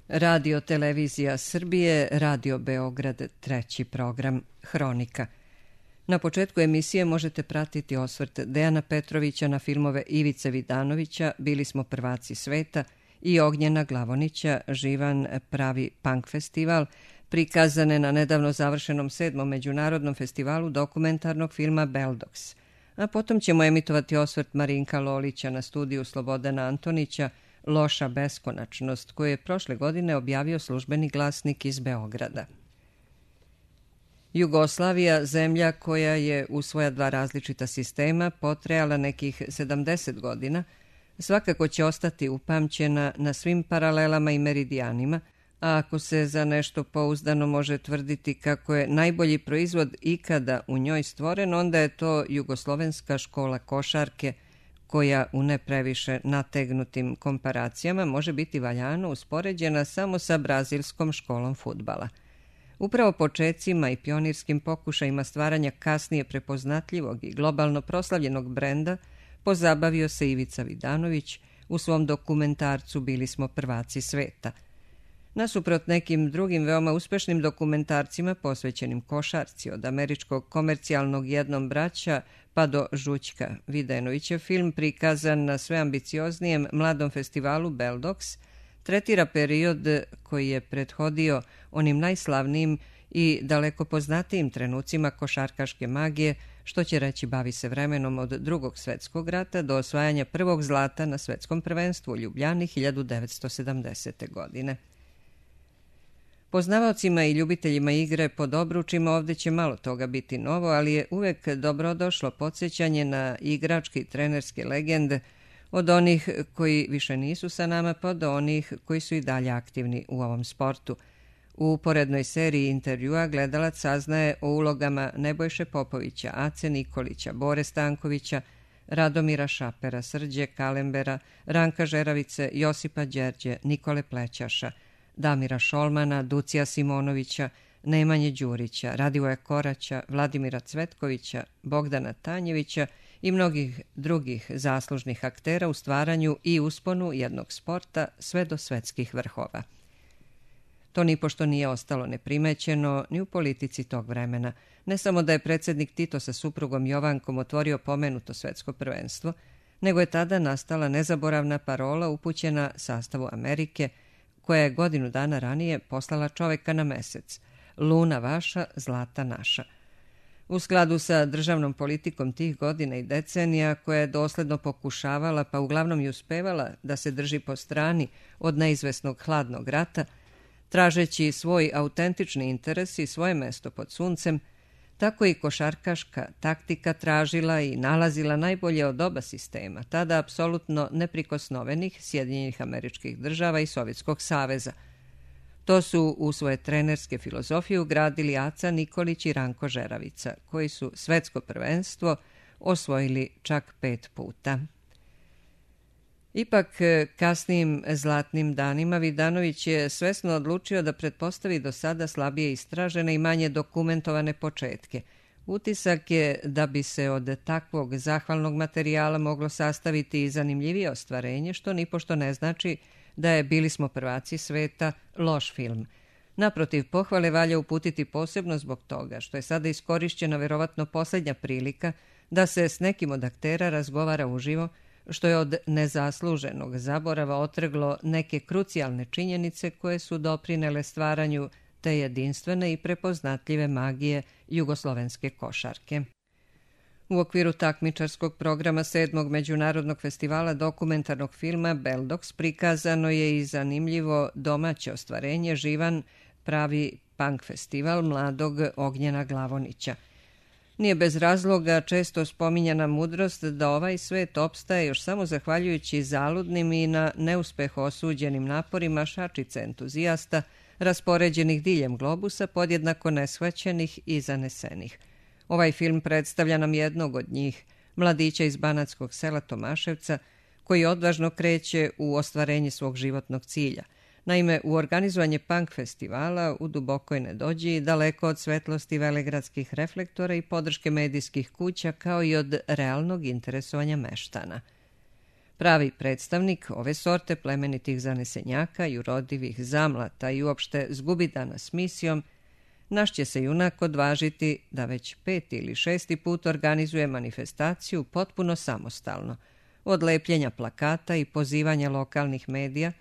Radio Televizija Srbije, Radio Beograd, treći program, Hronika. Na početku emisije možete pratiti osvrt Dejana Petrovića na filmove Ivice Vidanovića, Bili smo prvaci sveta i Ognjena Glavonića, Živan pravi punk festival, prikazane na nedavno završenom 7. međunarodnom festivalu dokumentarnog filma Beldox. A potom ćemo emitovati osvrt Marinka Lolića na studiju Slobodana Antonića, Loša beskonačnost, koju je prošle godine objavio Službeni glasnik iz Beograda. Jugoslavija, zemlja koja je u svoja dva različita sistema potrajala nekih 70 godina, svakako će ostati upamćena na svim paralelama i meridijanima, a ako se za nešto pouzdano može tvrditi kako je najbolji proizvod ikada u njoj stvoren, onda je to jugoslovenska škola košarke, koja u ne previše nategnutim komparacijama može biti valjano uspoređena samo sa brazilskom školom fudbala. Upravo počecima i pionirskim pokušajima stvaranja kasnije prepoznatljivog i globalno proslavljenog brenda pozabavio se Ivica Vidanović u svom dokumentarcu Bili smo prvaci sveta. Nasuprot nekim drugim veoma uspešnim dokumentarcima posvećenim košarci, od američkog komercijalnog Jednom braća pa do Žućka, Videnovićev film, prikazan na sve ambicioznijem mladom festivalu Beldox, tretira period koji je prethodio onim najslavnijim i daleko poznatijim trenucima košarkaške magije, što će reći bavi se vremenom od Drugog svetskog rata do osvajanja prvog zlata na svetskom prvenstvu u Ljubljani 1970. godine. Poznavaocima i ljubiteljima igre pod obručima ovdje će malo toga biti novo, ali je uvek dobrodošlo podsjećanje na igračke i trenerske legende, od onih koji više nisu sa nama pa do onih koji su i dalje aktivni u ovom sportu. U uporednoj seriji intervjua gledalac saznaje o ulogama Nebojše Popovića, Ace Nikolića, Bore Stankovića, Radomira Šapera, Srđe Kalembera, Ranka Žeravice, Josipa Đerđe, Nikole Plećaša, Damira Šolmana, Ducija Simonovića, Nemanje Đurića, Radivoja Koraća, Vladimira Cvetkovića, Bogdana Tanjevića i mnogih drugih zaslužnih aktera u stvaranju i usponu jednog sporta sve do svetskih vrhova. To nipošto nije ostalo neprimećeno ni u politici tog vremena. Ne samo da je predsjednik Tito sa suprugom Jovankom otvorio pomenuto svetsko prvenstvo, nego je tada nastala nezaboravna parola upućena sastavu Amerike, koja je godinu dana ranije poslala čoveka na mesec: Luna vaša, zlata naša. U skladu sa državnom politikom tih godina i decenija, koja je dosledno pokušavala, pa uglavnom i uspevala, da se drži po strani od neizvesnog hladnog rata, tražeći svoj autentični interes i svoje mesto pod suncem, tako i košarkaška taktika tražila i nalazila najbolje od oba sistema, tada apsolutno neprikosnovenih Sjedinjenih Američkih Država i Sovjetskog saveza. To su u svoje trenerske filozofije ugradili Aca Nikolić i Ranko Žeravica, koji su svetsko prvenstvo osvojili čak 5 puta. Ipak, kasnijim zlatnim danima Vidanović je svesno odlučio da pretpostavi do sada slabije istražene i manje dokumentovane početke. Utisak je da bi se od takvog zahvalnog materijala moglo sastaviti i zanimljivije ostvarenje, što nipošto ne znači da je Bili smo prvaci sveta loš film. Naprotiv, pohvale valja uputiti posebno zbog toga što je sada iskorišćena verovatno posljednja prilika da se s nekim od aktera razgovara uživo, što je od nezasluženog zaborava otrglo neke krucijalne činjenice koje su doprinele stvaranju te jedinstvene i prepoznatljive magije jugoslovenske košarke. U okviru takmičarskog programa 7. međunarodnog festivala dokumentarnog filma Beldox prikazano je i zanimljivo domaće ostvarenje Živan pravi punk festival mladog Ognjena Glavonića. Nije bez razloga često spominjana mudrost da ovaj svet opstaje još samo zahvaljujući zaludnim i na neuspeh osuđenim naporima šačice entuzijasta raspoređenih diljem globusa, podjednako neshvaćenih i zanesenih. Ovaj film predstavlja nam jednog od njih, mladića iz banatskog sela Tomaševca, koji odvažno kreće u ostvarenje svog životnog cilja. Naime, u organizovanje punk festivala u dubokoj nedođi, daleko od svetlosti velegradskih reflektora i podrške medijskih kuća, kao i od realnog interesovanja meštana. Pravi predstavnik ove sorte plemenitih zanesenjaka i urodivih zamlata i uopšte zgubidana s misijom, naš će se junak odvažiti da već 5. ili 6. put organizuje manifestaciju potpuno samostalno, od lepljenja plakata i pozivanja lokalnih medija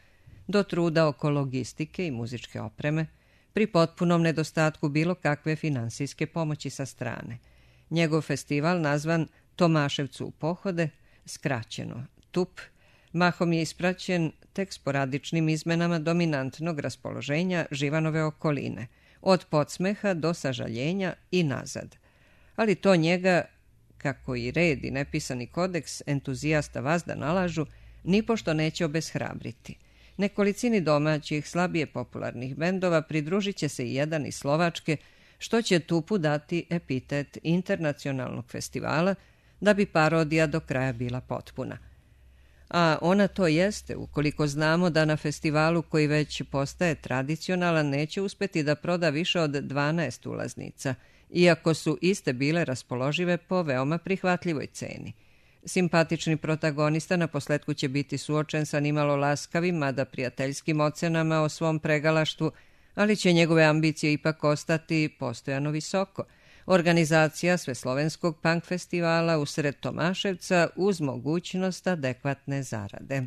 do truda oko logistike i muzičke opreme, pri potpunom nedostatku bilo kakve finansijske pomoći sa strane. Njegov festival, nazvan Tomaševcu u pohode, skraćeno TUP, mahom je ispraćen tek sporadičnim izmenama dominantnog raspoloženja Živanove okoline, od podsmeha do sažaljenja i nazad. Ali to njega, kako i red i nepisani kodeks entuzijasta vazda nalažu, nipošto neće obeshrabriti. Nekolicini domaćih, slabije popularnih bendova pridružit će se i jedan iz Slovačke, što će TUP-u dati epitet internacionalnog festivala, da bi parodija do kraja bila potpuna. A ona to jeste, ukoliko znamo da na festivalu koji već postaje tradicionalan neće uspeti da proda više od 12 ulaznica, iako su iste bile raspoložive po veoma prihvatljivoj ceni. Simpatični protagonista na posletku će biti suočen sa nimalo laskavim, mada prijateljskim ocenama o svom pregalaštvu, ali će njegove ambicije ipak ostati postojano visoko. Organizacija Sveslovenskog punk festivala usred Tomaševca uz mogućnost adekvatne zarade.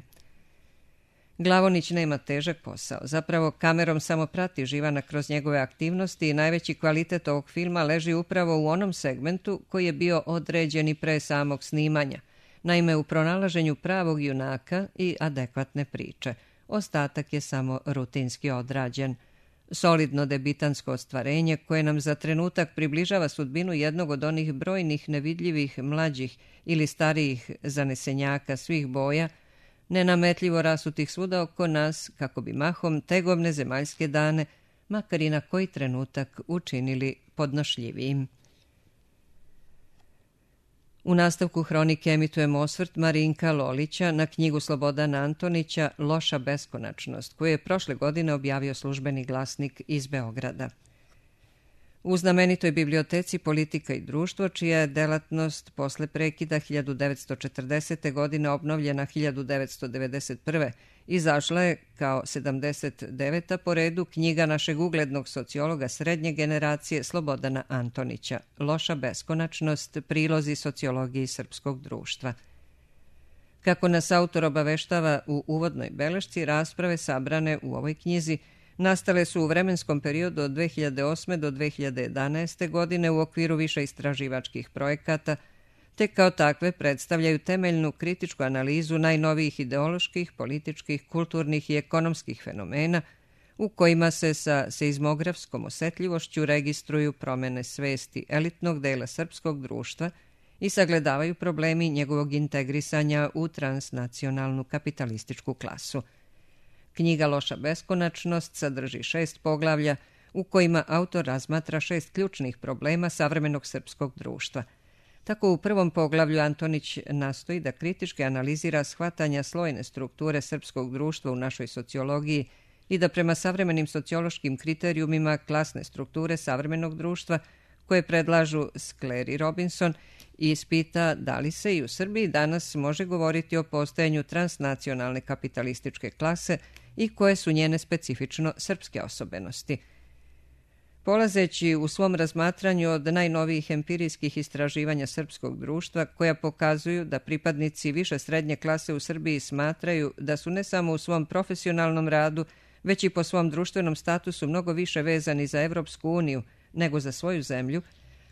Glavonić nema težak posao, zapravo kamerom samo prati Živana kroz njegove aktivnosti i najveći kvalitet ovog filma leži upravo u onom segmentu koji je bio određen i pre samog snimanja, naime u pronalaženju pravog junaka i adekvatne priče. Ostatak je samo rutinski odrađen. Solidno debitansko ostvarenje koje nam za trenutak približava sudbinu jednog od onih brojnih nevidljivih mlađih ili starijih zanesenjaka svih boja, nenametljivo rasutih svuda oko nas, kako bi mahom tegovne zemaljske dane, makar i na koji trenutak, učinili podnošljivijim. U nastavku hronike emitujemo osvrt Marinka Lolića na knjigu Slobodana Antonića Loša beskonačnost, koju je prošle godine objavio Službeni glasnik iz Beograda. U znamenitoj biblioteci Politika i društvo, čija je delatnost posle prekida 1940. godine obnovljena 1991. izašla je kao 79. po redu knjiga našeg uglednog sociologa srednje generacije Slobodana Antonića Loša beskonačnost, prilozi sociologiji srpskog društva. Kako nas autor obaveštava u uvodnoj belešci, rasprave sabrane u ovoj knjizi nastale su u vremenskom periodu od 2008. do 2011. godine u okviru više istraživačkih projekata, te kao takve predstavljaju temeljnu kritičku analizu najnovijih ideoloških, političkih, kulturnih i ekonomskih fenomena u kojima se sa seizmografskom osetljivošću registruju promene svesti elitnog dela srpskog društva i sagledavaju problemi njegovog integrisanja u transnacionalnu kapitalističku klasu. Knjiga Loša beskonačnost sadrži 6 poglavlja u kojima autor razmatra 6 ključnih problema savremenog srpskog društva. Tako u prvom poglavlju Antonić nastoji da kritički analizira shvatanja slojne strukture srpskog društva u našoj sociologiji i da prema savremenim sociološkim kriterijumima klasne strukture savremenog društva koje predlažu Skler i Robinson ispita da li se i u Srbiji danas može govoriti o postojanju transnacionalne kapitalističke klase i koje su njene specifično srpske osobenosti. Polazeći u svom razmatranju od najnovijih empirijskih istraživanja srpskog društva koja pokazuju da pripadnici više srednje klase u Srbiji smatraju da su ne samo u svom profesionalnom radu, već i po svom društvenom statusu mnogo više vezani za Evropsku uniju nego za svoju zemlju,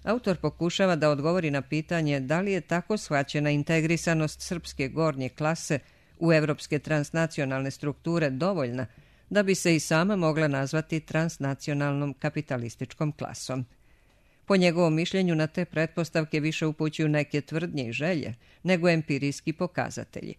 autor pokušava da odgovori na pitanje da li je tako shvaćena integrisanost srpske gornje klase u evropske transnacionalne strukture dovoljna da bi se i sama mogla nazvati transnacionalnom kapitalističkom klasom. Po njegovom mišljenju na te pretpostavke više upućuju neke tvrdnje i želje nego empirijski pokazatelji.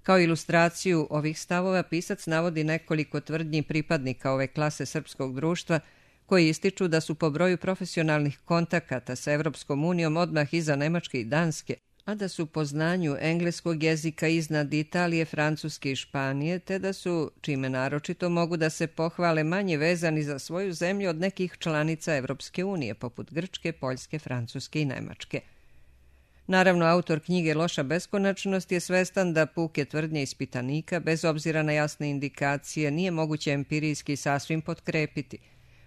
Kao ilustraciju ovih stavova pisac navodi nekoliko tvrdnji pripadnika ove klase srpskog društva koji ističu da su po broju profesionalnih kontakata sa Evropskom unijom odmah iza Nemačke i Danske, a da su po znanju engleskog jezika iznad Italije, Francuske i Španije, te da su, čime naročito mogu da se pohvale, manje vezani za svoju zemlju od nekih članica Evropske unije, poput Grčke, Poljske, Francuske i Nemačke. Naravno, autor knjige Loša beskonačnost je svestan da puke tvrdnje ispitanika, bez obzira na jasne indikacije, nije moguće empirijski sasvim potkrepiti.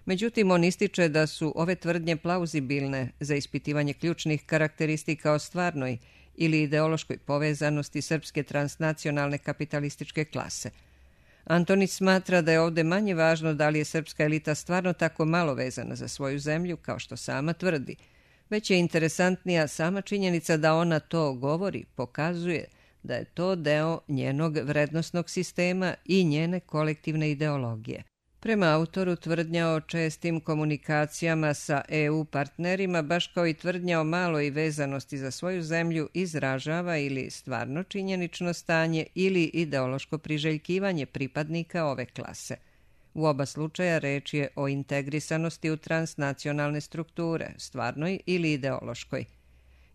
Međutim, on ističe da su ove tvrdnje plauzibilne za ispitivanje ključnih karakteristika o stvarnoj ili ideološkoj povezanosti srpske transnacionalne kapitalističke klase. Antonić smatra da je ovdje manje važno da li je srpska elita stvarno tako malo vezana za svoju zemlju, kao što sama tvrdi, već je interesantnija sama činjenica da ona to govori, pokazuje da je to deo njenog vrednosnog sistema i njene kolektivne ideologije. Prema autoru, tvrdnja o čestim komunikacijama sa EU partnerima, baš kao i tvrdnja o maloj vezanosti za svoju zemlju, izražava ili stvarno činjenično stanje ili ideološko priželjkivanje pripadnika ove klase. U oba slučaja reč je o integrisanosti u transnacionalne strukture, stvarnoj ili ideološkoj.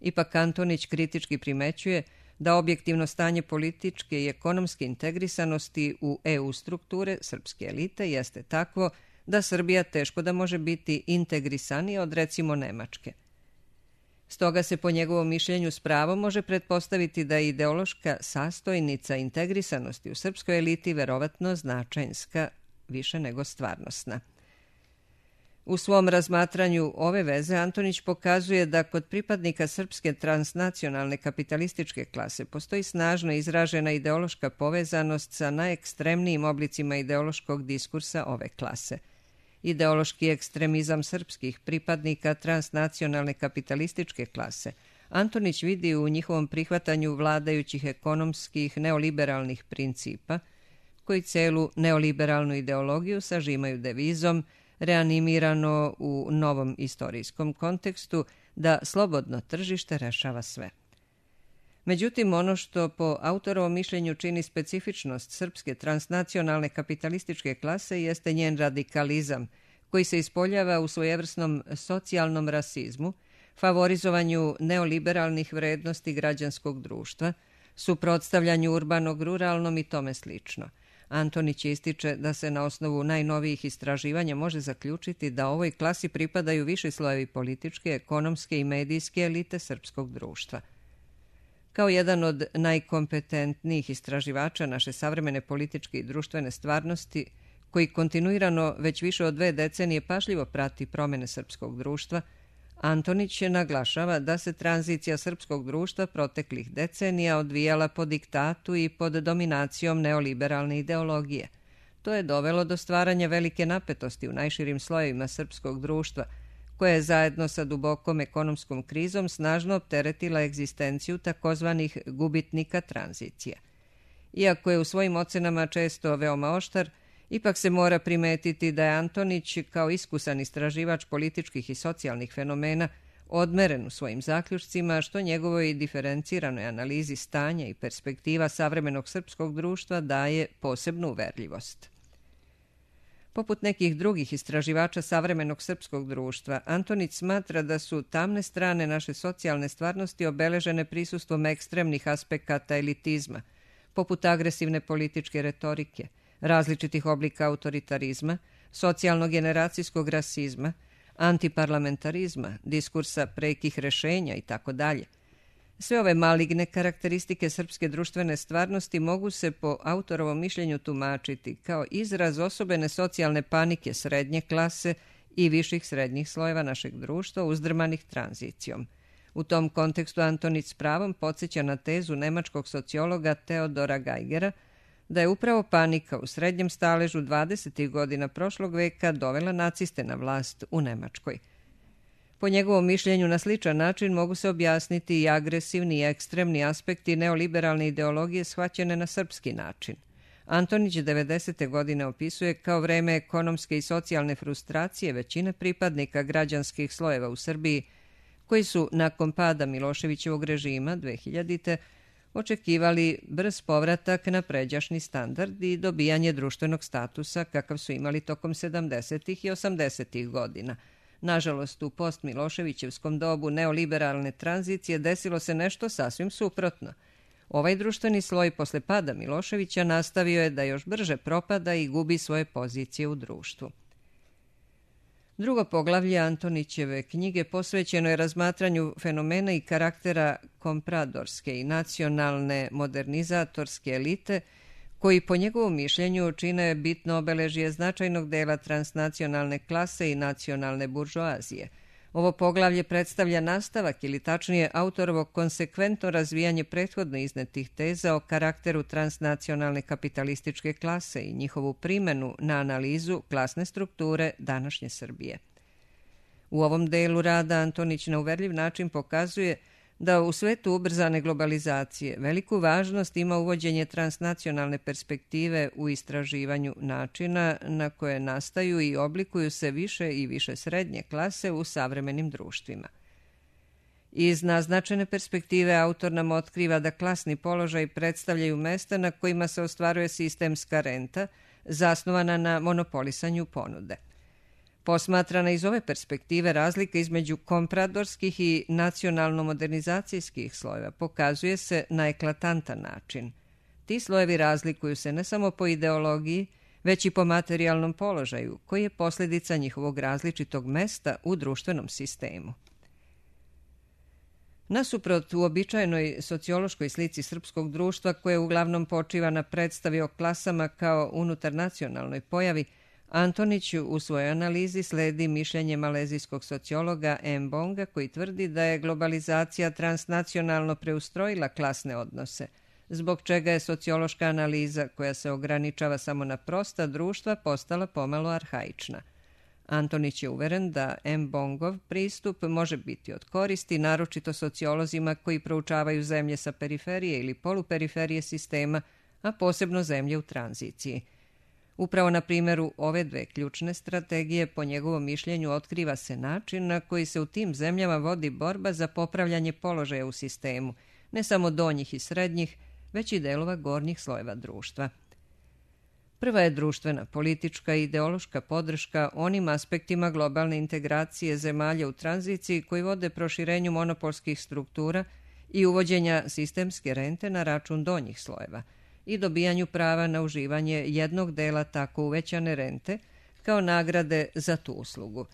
Ipak Antonić kritički primećuje da objektivno stanje političke i ekonomske integrisanosti u EU strukture srpske elite jeste takvo da Srbija teško da može biti integrisanija od recimo Nemačke. Stoga se po njegovom mišljenju s pravom može pretpostaviti da je ideološka sastojnica integrisanosti u srpskoj eliti verovatno značajnska, više nego stvarnosna. U svom razmatranju ove veze Antonić pokazuje da kod pripadnika srpske transnacionalne kapitalističke klase postoji snažno izražena ideološka povezanost sa najekstremnijim oblicima ideološkog diskursa ove klase. Ideološki ekstremizam srpskih pripadnika transnacionalne kapitalističke klase Antonić vidi u njihovom prihvatanju vladajućih ekonomskih neoliberalnih principa, koji celu neoliberalnu ideologiju sažimaju devizom reanimirano u novom istorijskom kontekstu da slobodno tržište rešava sve. Međutim, ono što po autorovom mišljenju čini specifičnost srpske transnacionalne kapitalističke klase jeste njen radikalizam, koji se ispoljava u svojevrsnom socijalnom rasizmu, favorizovanju neoliberalnih vrednosti građanskog društva, suprotstavljanju urbanog ruralnom i tome slično. Antonić ističe da se na osnovu najnovijih istraživanja može zaključiti da ovoj klasi pripadaju viši slojevi političke, ekonomske i medijske elite srpskog društva. Kao jedan od najkompetentnijih istraživača naše savremene političke i društvene stvarnosti, koji kontinuirano već više od 2 decenije pažljivo prati promjene srpskog društva, Antonić naglašava da se tranzicija srpskog društva proteklih decenija odvijala po diktatu i pod dominacijom neoliberalne ideologije. To je dovelo do stvaranja velike napetosti u najširim slojevima srpskog društva, koja je zajedno sa dubokom ekonomskom krizom snažno opteretila egzistenciju takozvanih gubitnika tranzicije. Iako je u svojim ocenama često veoma oštar, ipak se mora primetiti da je Antonić, kao iskusan istraživač političkih i socijalnih fenomena, odmeren u svojim zaključcima, što njegovoj diferenciranoj analizi stanja i perspektiva savremenog srpskog društva daje posebnu uverljivost. Poput nekih drugih istraživača savremenog srpskog društva, Antonić smatra da su tamne strane naše socijalne stvarnosti obeležene prisustvom ekstremnih aspekata elitizma, poput agresivne političke retorike, različitih oblika autoritarizma, socijalno-generacijskog rasizma, antiparlamentarizma, diskursa prekih rešenja itd. Sve ove maligne karakteristike srpske društvene stvarnosti mogu se po autorovom mišljenju tumačiti kao izraz osobene socijalne panike srednje klase i viših srednjih slojeva našeg društva uzdrmanih tranzicijom. U tom kontekstu Antonić s pravom podsjeća na tezu nemačkog sociologa Teodora Geigera da je upravo panika u srednjem staležu 20. godina prošlog veka dovela naciste na vlast u Nemačkoj. Po njegovom mišljenju na sličan način mogu se objasniti i agresivni i ekstremni aspekti neoliberalne ideologije shvaćene na srpski način. Antonić 90. godine opisuje kao vreme ekonomske i socijalne frustracije većine pripadnika građanskih slojeva u Srbiji, koji su nakon pada Miloševićevog režima 2000. očekivali brz povratak na pređašnji standard i dobijanje društvenog statusa kakav su imali tokom 70. i 80. godina. Nažalost, u post-Miloševićevskom dobu neoliberalne tranzicije desilo se nešto sasvim suprotno. Ovaj društveni sloj posle pada Miloševića nastavio je da još brže propada i gubi svoje pozicije u društvu. Drugo poglavlje Antonićeve knjige posvećeno je razmatranju fenomena i karaktera kompradorske i nacionalne modernizatorske elite, koji po njegovom mišljenju čine bitno obeležje značajnog dela transnacionalne klase i nacionalne buržoazije. Ovo poglavlje predstavlja nastavak ili tačnije autorovo konsekventno razvijanje prethodno iznetih teza o karakteru transnacionalne kapitalističke klase i njihovu primenu na analizu klasne strukture današnje Srbije. U ovom delu rada Antonić na uverljiv način pokazuje da u svetu ubrzane globalizacije veliku važnost ima uvođenje transnacionalne perspektive u istraživanju načina na koje nastaju i oblikuju se više i više srednje klase u savremenim društvima. Iz naznačene perspektive autor nam otkriva da klasni položaj predstavljaju mesta na kojima se ostvaruje sistemska renta zasnovana na monopolisanju ponude. Posmatrana iz ove perspektive, razlika između kompradorskih i nacionalno-modernizacijskih slojeva pokazuje se na eklatantan način. Ti slojevi razlikuju se ne samo po ideologiji, već i po materijalnom položaju, koji je posljedica njihovog različitog mesta u društvenom sistemu. Nasuprot uobičajenoj sociološkoj slici srpskog društva, koje uglavnom počiva na predstavi o klasama kao unutarnacionalnoj pojavi, Antonić u svojoj analizi sledi mišljenje malezijskog sociologa Mbonga, koji tvrdi da je globalizacija transnacionalno preustrojila klasne odnose, zbog čega je sociološka analiza, koja se ograničava samo na prosta društva, postala pomalo arhaična. Antonić je uveren da Mbongov pristup može biti od koristi, naročito sociolozima koji proučavaju zemlje sa periferije ili poluperiferije sistema, a posebno zemlje u tranziciji. Upravo na primjeru ove dve ključne strategije, po njegovom mišljenju, otkriva se način na koji se u tim zemljama vodi borba za popravljanje položaja u sistemu, ne samo donjih i srednjih, već i delova gornjih slojeva društva. Prva je društvena, politička i ideološka podrška onim aspektima globalne integracije zemalja u tranziciji koji vode proširenju monopolskih struktura i uvođenja sistemske rente na račun donjih slojeva i dobijanju prava na uživanje jednog dela tako uvećane rente kao nagrade za tu uslugu.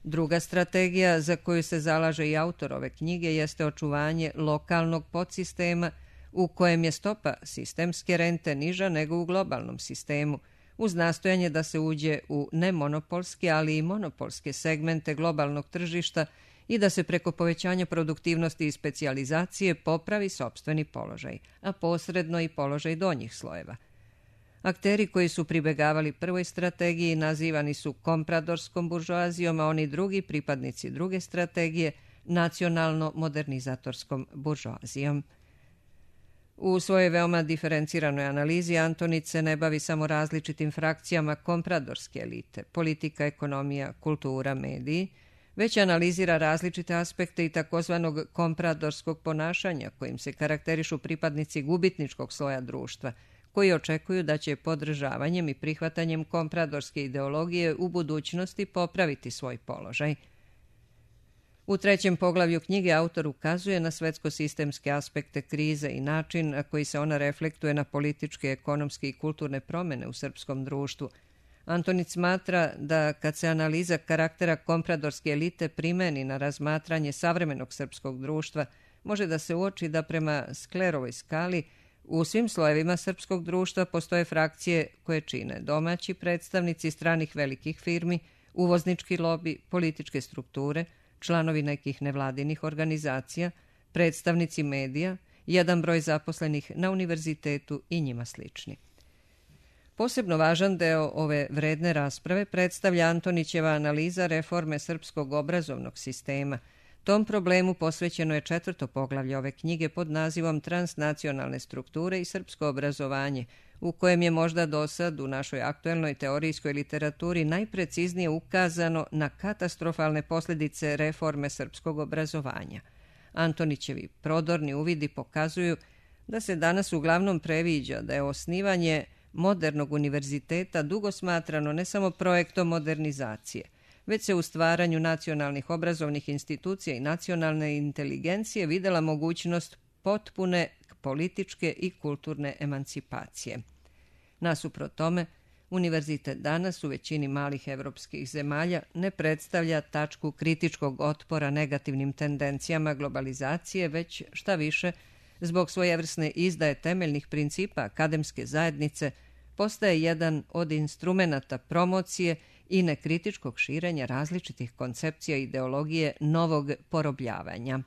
Druga strategija za koju se zalaže i autor ove knjige jeste očuvanje lokalnog podsistema u kojem je stopa sistemske rente niža nego u globalnom sistemu, uz nastojanje da se uđe u nemonopolske, ali i monopolske segmente globalnog tržišta i da se preko povećanja produktivnosti i specijalizacije popravi sopstveni položaj, a posredno i položaj donjih slojeva. Akteri koji su pribegavali prvoj strategiji nazivani su kompradorskom buržoazijom, a oni drugi, pripadnici druge strategije, nacionalno-modernizatorskom buržoazijom. U svojoj veoma diferenciranoj analizi Antonić se ne bavi samo različitim frakcijama kompradorske elite, politika, ekonomija, kultura, mediji, već analizira različite aspekte i takozvanog kompradorskog ponašanja kojim se karakterišu pripadnici gubitničkog sloja društva, koji očekuju da će podržavanjem i prihvatanjem kompradorske ideologije u budućnosti popraviti svoj položaj. U trećem poglavlju knjige autor ukazuje na svetsko-sistemske aspekte krize i način na koji se ona reflektuje na političke, ekonomske i kulturne promjene u srpskom društvu. Antonić smatra da kad se analiza karaktera kompradorske elite primeni na razmatranje savremenog srpskog društva, može da se uoči da prema Sklerovoj skali u svim slojevima srpskog društva postoje frakcije koje čine domaći predstavnici stranih velikih firmi, uvoznički lobi, političke strukture, članovi nekih nevladinih organizacija, predstavnici medija, jedan broj zaposlenih na univerzitetu i njima slični. Posebno važan deo ove vredne rasprave predstavlja Antonićeva analiza reforme srpskog obrazovnog sistema. Tom problemu posvećeno je 4. poglavlje ove knjige pod nazivom Transnacionalne strukture i srpsko obrazovanje, u kojem je možda dosad u našoj aktuelnoj teorijskoj literaturi najpreciznije ukazano na katastrofalne posljedice reforme srpskog obrazovanja. Antonićevi prodorni uvidi pokazuju da se danas uglavnom previđa da je osnivanje modernog univerziteta dugo smatrano ne samo projektom modernizacije, već se u stvaranju nacionalnih obrazovnih institucija i nacionalne inteligencije videla mogućnost potpune političke i kulturne emancipacije. Nasuprot tome, univerzitet danas u većini malih evropskih zemalja ne predstavlja tačku kritičkog otpora negativnim tendencijama globalizacije, već šta više, zbog svojevrsne izdaje temeljnih principa akademske zajednice, postaje jedan od instrumenata promocije i nekritičkog širenja različitih koncepcija i ideologije novog porobljavanja.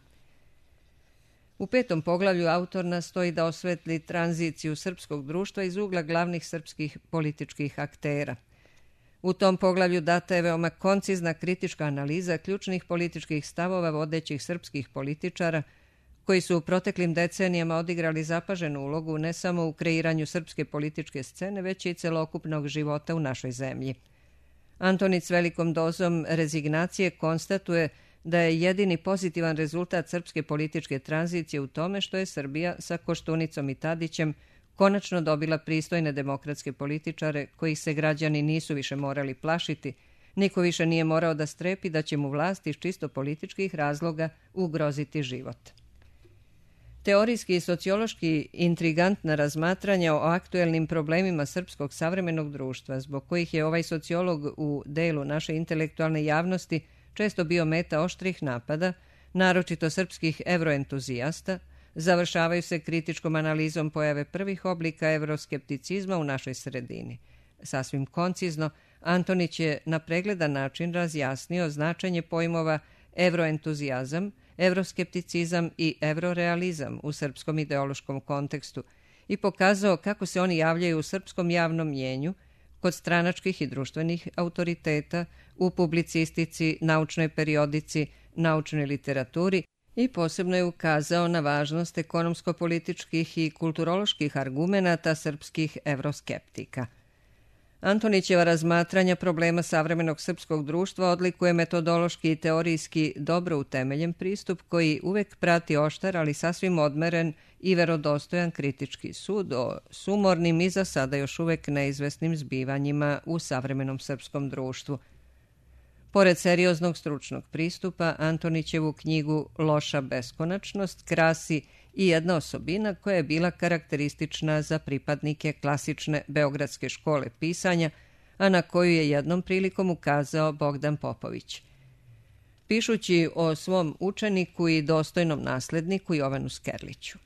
U 5. poglavlju autor nastoji da osvetli tranziciju srpskog društva iz ugla glavnih srpskih političkih aktera. U tom poglavlju data je veoma koncizna kritička analiza ključnih političkih stavova vodećih srpskih političara koji su u proteklim decenijama odigrali zapaženu ulogu ne samo u kreiranju srpske političke scene, već i celokupnog života u našoj zemlji. Antonić s velikom dozom rezignacije konstatuje da je jedini pozitivan rezultat srpske političke tranzicije u tome što je Srbija sa Koštunicom i Tadićem konačno dobila pristojne demokratske političare kojih se građani nisu više morali plašiti, niko više nije morao da strepi da će mu vlast iz čisto političkih razloga ugroziti život. Teorijski i sociološki intrigantna razmatranja o aktuelnim problemima srpskog savremenog društva, zbog kojih je ovaj sociolog u delu naše intelektualne javnosti često bio meta oštrih napada, naročito srpskih evroentuzijasta, završavaju se kritičkom analizom pojave prvih oblika evroskepticizma u našoj sredini. Sasvim koncizno, Antonić je na pregledan način razjasnio značenje pojmova evroentuzijazam, evroskepticizam i evrorealizam u srpskom ideološkom kontekstu i pokazao kako se oni javljaju u srpskom javnom mjenju, kod stranačkih i društvenih autoriteta, u publicistici, naučnoj periodici, naučnoj literaturi i posebno je ukazao na važnost ekonomsko-političkih i kulturoloških argumenata srpskih evroskeptika. Antonićeva razmatranja problema savremenog srpskog društva odlikuje metodološki i teorijski dobro utemeljen pristup koji uvek prati oštar, ali sasvim odmeren i verodostojan kritički sud o sumornim i za sada još uvek neizvesnim zbivanjima u savremenom srpskom društvu. Pored serioznog stručnog pristupa, Antonićevu knjigu Loša beskonačnost krasi i jedna osobina koja je bila karakteristična za pripadnike klasične beogradske škole pisanja, a na koju je jednom prilikom ukazao Bogdan Popović. Pišući o svom učeniku i dostojnom nasledniku Jovanu Skerliću.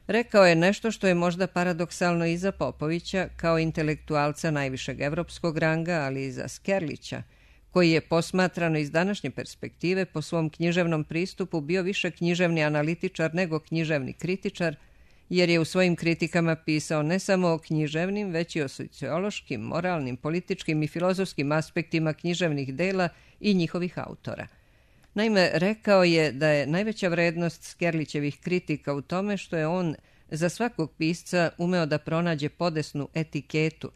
Rekao je nešto što je možda paradoksalno i za Popovića, kao intelektualca najvišeg evropskog ranga, ali i za Skerlića, koji je posmatrano iz današnje perspektive po svom književnom pristupu bio više književni analitičar nego književni kritičar, jer je u svojim kritikama pisao ne samo o književnim, već i o sociološkim, moralnim, političkim i filozofskim aspektima književnih dela i njihovih autora. Naime, rekao je da je najveća vrednost Skerlićevih kritika u tome što je on za svakog pisca umeo da pronađe podesnu etiketu,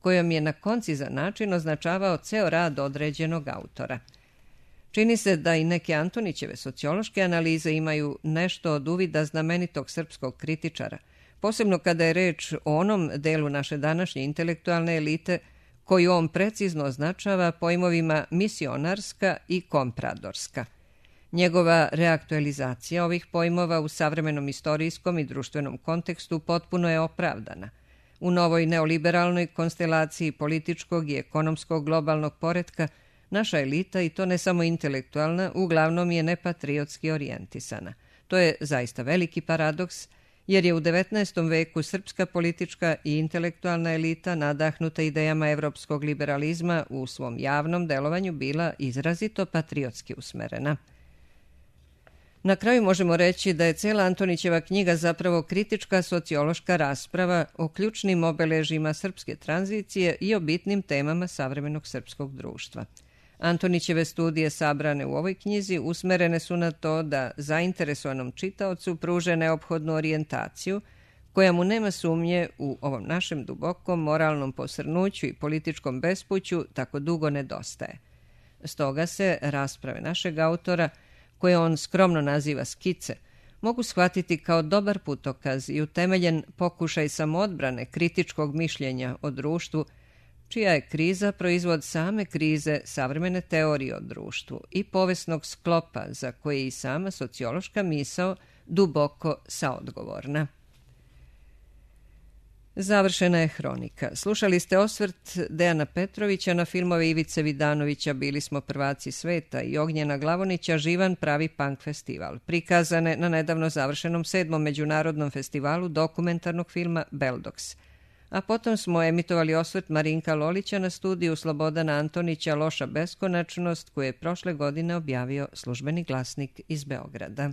kojom je na koncizan način označavao ceo rad određenog autora. Čini se da i neke Antonićeve sociološke analize imaju nešto od uvida znamenitog srpskog kritičara, posebno kada je reč o onom delu naše današnje intelektualne elite koju on precizno označava pojmovima misionarska i kompradorska. Njegova reaktualizacija ovih pojmova u savremenom istorijskom i društvenom kontekstu potpuno je opravdana. U novoj neoliberalnoj konstelaciji političkog i ekonomskog globalnog poretka naša elita, i to ne samo intelektualna, uglavnom je nepatriotski orijentisana. To je zaista veliki paradoks, jer je u 19. veku srpska politička i intelektualna elita nadahnuta idejama evropskog liberalizma u svom javnom delovanju bila izrazito patriotski usmerena. Na kraju možemo reći da je cela Antonićeva knjiga zapravo kritička sociološka rasprava o ključnim obeležjima srpske tranzicije i o bitnim temama savremenog srpskog društva. Antonićeve studije sabrane u ovoj knjizi usmerene su na to da zainteresovanom čitaocu pruže neophodnu orijentaciju, koja mu nema sumnje u ovom našem dubokom moralnom posrnuću i političkom bespuću tako dugo nedostaje. Stoga se rasprave našeg autora, koje on skromno naziva skice, mogu shvatiti kao dobar putokaz i utemeljen pokušaj samoodbrane kritičkog mišljenja o društvu, čija je kriza proizvod same krize savremene teorije o društvu i povesnog sklopa za koje je i sama sociološka misao duboko saodgovorna. Završena je hronika. Slušali ste osvrt Dejana Petrovića na filmove Ivice Vidanovića Bili smo prvaci sveta i Ognjena Glavonića Živan pravi punk festival, prikazane na nedavno završenom 7. međunarodnom festivalu dokumentarnog filma Beldox. A potom smo emitovali osvrt Marinka Lolića na studiju Slobodana Antonića Loša beskonačnost, koju je prošle godine objavio Službeni glasnik iz Beograda.